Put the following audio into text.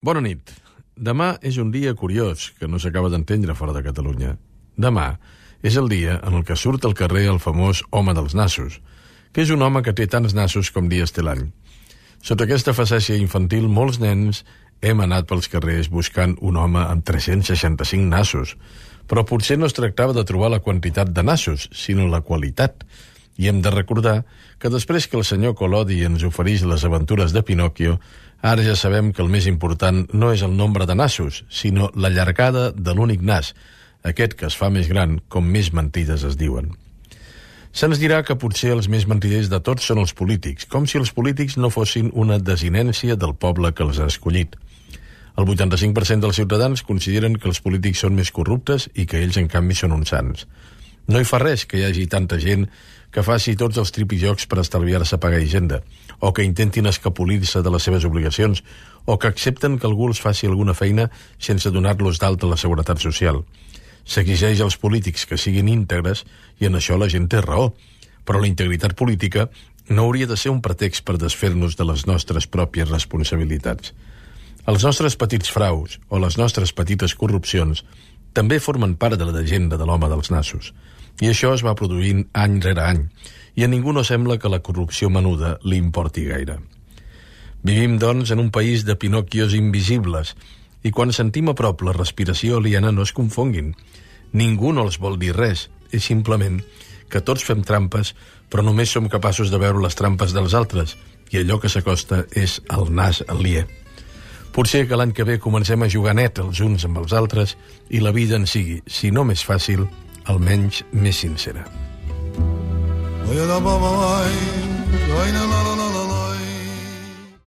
Bona nit. Demà és un dia curiós que no s'acaba d'entendre fora de Catalunya. Demà és el dia en el que surt al carrer el famós home dels nassos, que és un home que té tants nassos com dies té l'any. Sota aquesta facècia infantil, molts nens hem anat pels carrers buscant un home amb 365 nassos, però potser no es tractava de trobar la quantitat de nassos, sinó la qualitat. I hem de recordar que després que el senyor Collodi ens ofereix les aventures de Pinòquio, ara ja sabem que el més important no és el nombre de nassos, sinó la llargada de l'únic nas, aquest que es fa més gran com més mentides es diuen. Se'ns dirà que potser els més mentiders de tots són els polítics, com si els polítics no fossin una desinència del poble que els ha escollit. El 85% dels ciutadans consideren que els polítics són més corruptes i que ells, en canvi, són uns sants. No hi fa res que hi hagi tanta gent que faci tots els tripijocs per estalviar-se pagar Hisenda, o que intentin escapolir-se de les seves obligacions, o que accepten que algú els faci alguna feina sense donar-los d'alta a la Seguretat Social. S'exigeix als polítics que siguin íntegres i en això la gent té raó, però la integritat política no hauria de ser un pretext per desfer-nos de les nostres pròpies responsabilitats. Els nostres petits fraus o les nostres petites corrupcions també formen part de la llegenda de l'home dels nassos. I això es va produint any rere any, i a ningú no sembla que la corrupció menuda li importi gaire. Vivim, doncs, en un país de Pinòquios invisibles, i quan sentim a prop la respiració aliena no es confonguin. Ningú no els vol dir res, és simplement que tots fem trampes, però només som capaços de veure les trampes dels altres, i allò que s'acosta és el nas aliè. Potser que l'any que ve comencem a jugar net els uns amb els altres i la vida en sigui, si no més fàcil, almenys més sincera.